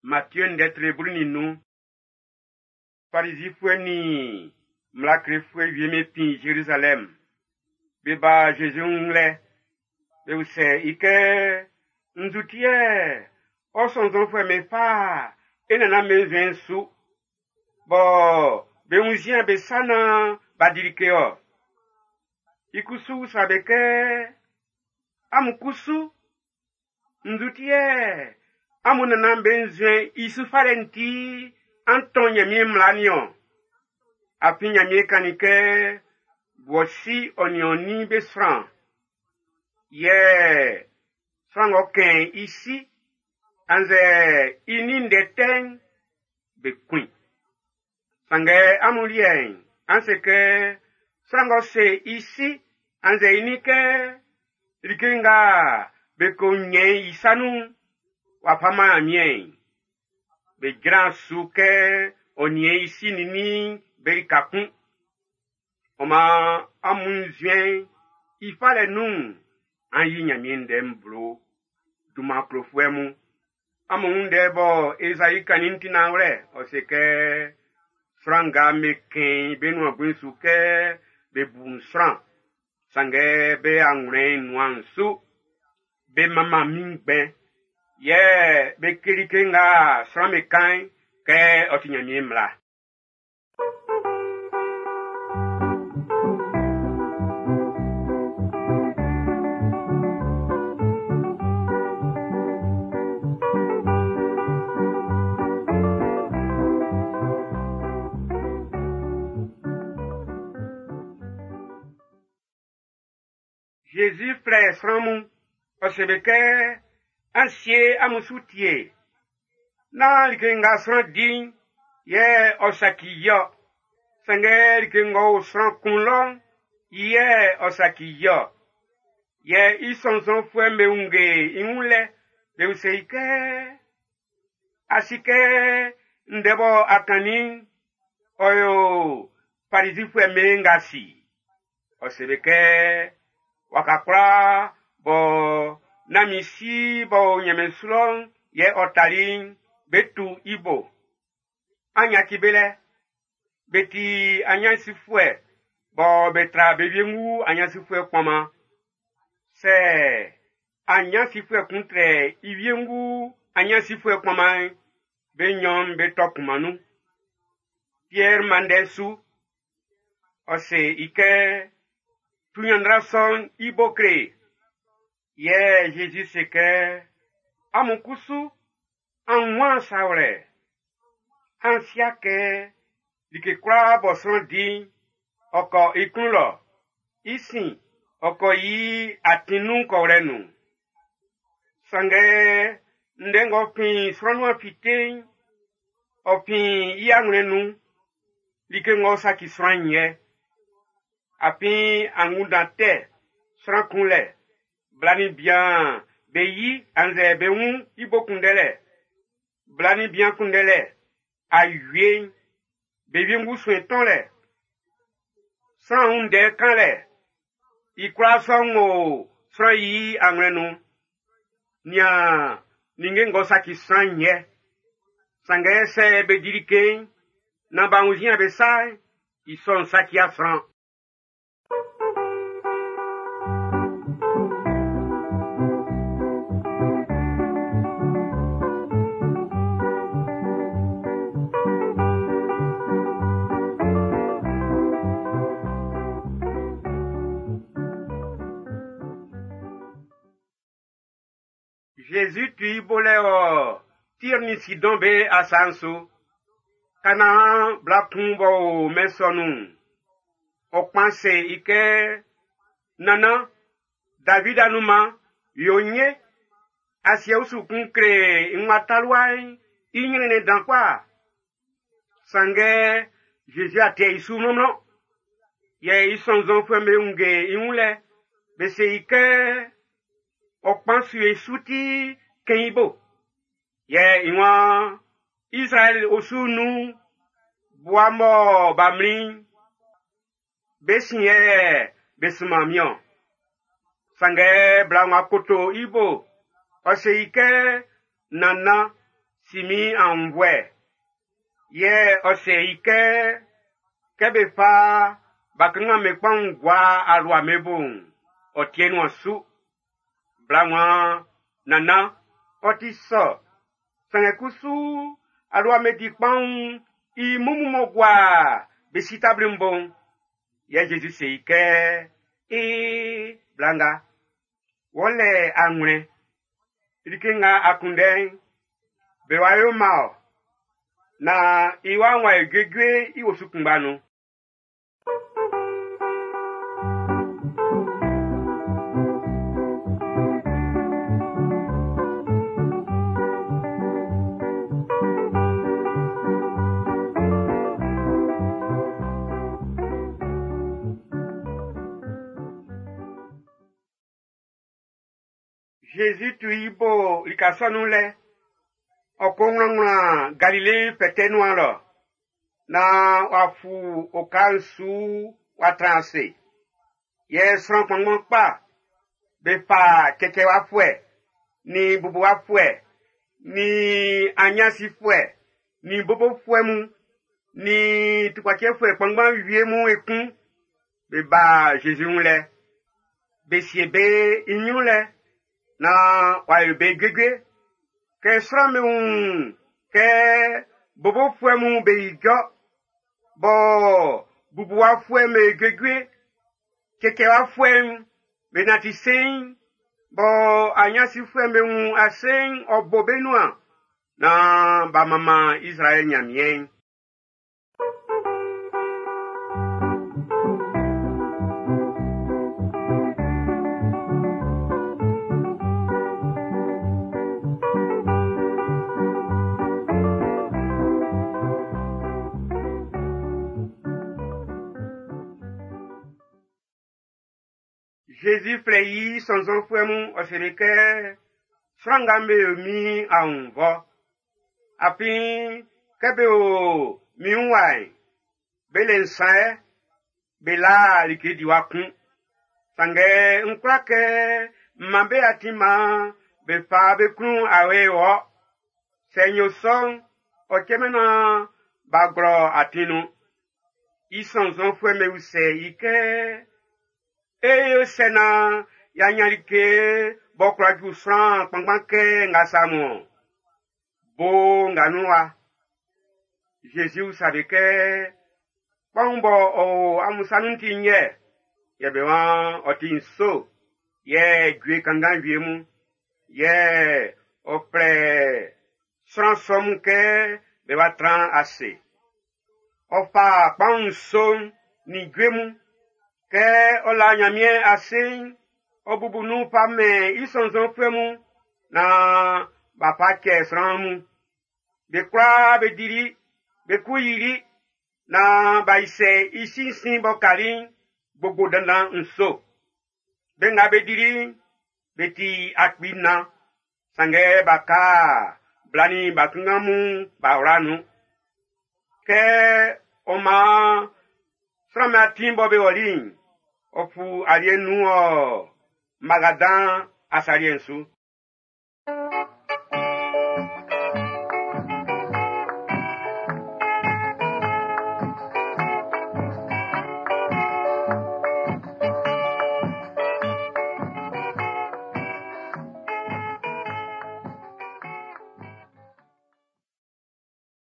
Matthieu ndɛ tre 15. Farizifuɛ nin mmla klefuɛ wie'm be fin Zerizalɛm. Be ba Jésus wun lɛ. Be usɛ i kɛ, nzu ti yɛ ɔ sɔnnzɔnfuɛ'm be fa e nannan be nzuɛn'n su, bɔ be wunnzian be sa nan b'a di like-ɔ. I kusu usa be kɛ, amun kusu, nzu ti yɛ amun nannan be nzuɛn'n i su falɛ'n ti an tɔn Nyanmiɛn mmla nin-ɔn? Afin Nyanmiɛn kannin kɛ, b'ɔ si ɔ nin ɔ nin be sran, yɛ sran ng'ɔ kɛn i si annzɛ i nin ndɛ tɛ'n, be kun i. Sanngɛ amun liɛ'n, an se kɛ sran ng'ɔ se i si annzɛ i nin kɛ like nga be ko nyɛn i sa nun'n, w'a fa man Nyanmiɛn'n, be jran su kɛ ɔ niɛn i si nin nin be lika kun. Ɔ maan amun nzuɛn'n i falɛ nun'n, an yi Nyanmiɛn ndɛ'n blo. Dunman klofuɛ mun. Amun wun ndɛ bɔ Ezai kannin'n ti nanwlɛ, ɔ se kɛ, sran nga be kɛn be nuan bui'n su kɛ be bu n sran, sanngɛ be anwlɛn'n nuan su, be manman min ngbɛn, yɛ be kle like nga sran be kan'n kɛ ɔ ti Nyanmiɛn mmla. Jésus flɛ sran mun, ɔ se be kɛ, an sie amun su tie. Nán like nga sran di'n yɛ ɔ saci i-ɔ. Sanngɛ like ng'ɔ o sran kun lɔ'n, yɛ ɔ saci i-ɔ. Yɛ i sɔnnzɔnfuɛ'm be wunnge i wun lɛ, be usɛ i kɛ, a si kɛ ndɛ bɔ a kannin'n, ɔ yo Farizifuɛ'm be ngasi. Ɔ se be kɛ, waka kwlaa bɔ nán min si b'ɔ o nyanmiɛn su lɔ'n yɛ ɔ tali'n, be tu i bo. An yaci be lɛ. Be ti anyansifuɛ bɔ be tra be wiengu anyansifuɛ kpɔnman. Sɛ anyansifuɛ kun trɛ i wiengu anyansifuɛ kpɔnman'n, be nnyɔn'n be tɔ kunman nun. Pierre man ndɛ su. Ɔ se i kɛ, tu nyanndra sɔ'n i bo kle. Yɛ Jésus se kɛ, amun kusu, an wun sa wlɛ. An sia kɛ like kwlaa bɔ sran di'n, ɔ kɔ i klun lɔ. I sin, ɔ kɔ i atin nun kɔwlɛ nun. Sanngɛ ndɛ ng'ɔ fin sran nuan fite'n, ɔ fin i anwlɛn nun. Like ng'ɔ saci sran'n yɛ. Afin angunndan tɛ, sran kunlɛ, bla nin bian be yi annzɛ be wun i bo kunndɛlɛ, bla nin bian kunndɛlɛ, awie'n, be wiengu suen tɔnlɛ, sran wun ndɛ kanlɛ, i kwlaa sɔ'n o sran yi anwlɛn nun. Nian ninnge ng'ɔ saci sran'n yɛ. Sanngɛ sɛ be di like'n, nan b'a wunnzian be sa'n, i sɔ'n saci sran. Jésus tu i bo lɛ ɔ Tir nin Sidɔn be asa'n su. Kanaan bla kun b'ɔ o mɛn sɔ nun'n, ɔ kpan se i kɛ, Nannan, David anunman, yo nye. Asiɛ usu kun kle i wa talua'n i nyrɛnnɛn dan kpa. Sanngɛ Jésus a tɛ i su mlɔnmlɔn. Yɛ i sɔnnzɔnfuɛ'm be wunnge i wun lɛ, be se i kɛ, ɔ kpan su e su ti kɛn i bo. Yɛ i waan, Israɛl osu nun, bua mɔ b'a mlin'n, be sin yɛ be sunman min-ɔn. Sanngɛ bla ng'ɔ koto i bo, ɔ se i kɛ, Nannan, si min aunnvuɛ. Yɛ ɔ se i kɛ, kɛ be fa bakanngan'm be kpanwun gua alua'm be bo'n, ɔ ti e nuan su. Bla'n waan, nannan, ɔ ti sɔ. Sanngɛ kusu alua'm be di kpanwun i mumun m'ɔ gua be si tabli'n bo'n. Yɛ Zezi se i kɛ, ee, bla nga, wɔ lɛ anwlɛn. Like nga a kunndɛ'n, be wa yo man ɔ. Na i wa'n w'a yo juejue i osu kunngba nun. Zezi tu i bo lika sɔ'n nun lɛ. Ɔ ko wlanwlan Galile fɛtɛ nuan lɔ, naan w'a fu oka'n su w'a tran ase. Yɛ sran kpanngban kpa be fa cɛcɛwafuɛ, nin bubuwafuɛ, nin anyansifuɛ, nin bobofuɛ mun, nin tukpacɛfuɛ kpanngban wie mun ekun be ba Zezi wun lɛ. Be sie be i ɲrun lɛ naan w'a yo be juejue. Kɛ sran'm be wun kɛ bobofuɛ mun be ijɔ, bɔ bubuwafuɛ'm be juejue, cɛcɛwafuɛ'm be nanti seiin, bɔ anyansifuɛ'm be wun ase'n ɔ bo be nuan, naan b'a manman Izraɛl Nyanmiɛn'n. Zezi flɛ i sɔnnzɔnfuɛ mun ɔ seli kɛ, sran nga be yo min aunnvɔ. Afin kɛ be o min wun wa'n, be le nsan yɛ, be la like diwa kun. Sanngɛ n kwla kɛ m man be atin maan be fa be klun awe wɔ. Sɛ n yo sɔ'n, ɔ cɛman naan b'a glɔ atin nun. I sɔnnzɔnfuɛ'm be usɛ i kɛ, e yo sɛ naan y'a ɲan like b'ɔ kwla ju sran kpanngban kɛ nga sa mun ɔn? Bo nga nun wa. Zezi usa be kɛ, kpanwun b'ɔ o amun sa nun'n ti nnyɛ? Yɛ be waan ɔ ti nso, yɛ jue kanngan wie mun. Yɛ ɔ flɛ sran sɔ mun kɛ be wa tran ase. Ɔ fa kpanwun nso'n nin jue mun. Kɛ ɔ la Nyanmiɛn ase'n, ɔ bubu nun fa mɛn i sɔnnzɔnfuɛ mun naan b'a fa cɛ sran mun. Be kwlaa be dili, be ku yili, naan b'a isɛ i sinsin b'ɔ kali'n gbogbo dandan nso. Be nga be dili'n, be ti 4,000. Sanngɛ b'a ka bla nin ba kanngan mun b'a wla nun. Kɛ ɔ maan sran'm be atin bɔ be ɔli'n, ɔ fu alie nun ɔ Magadan asa liɛ'n su.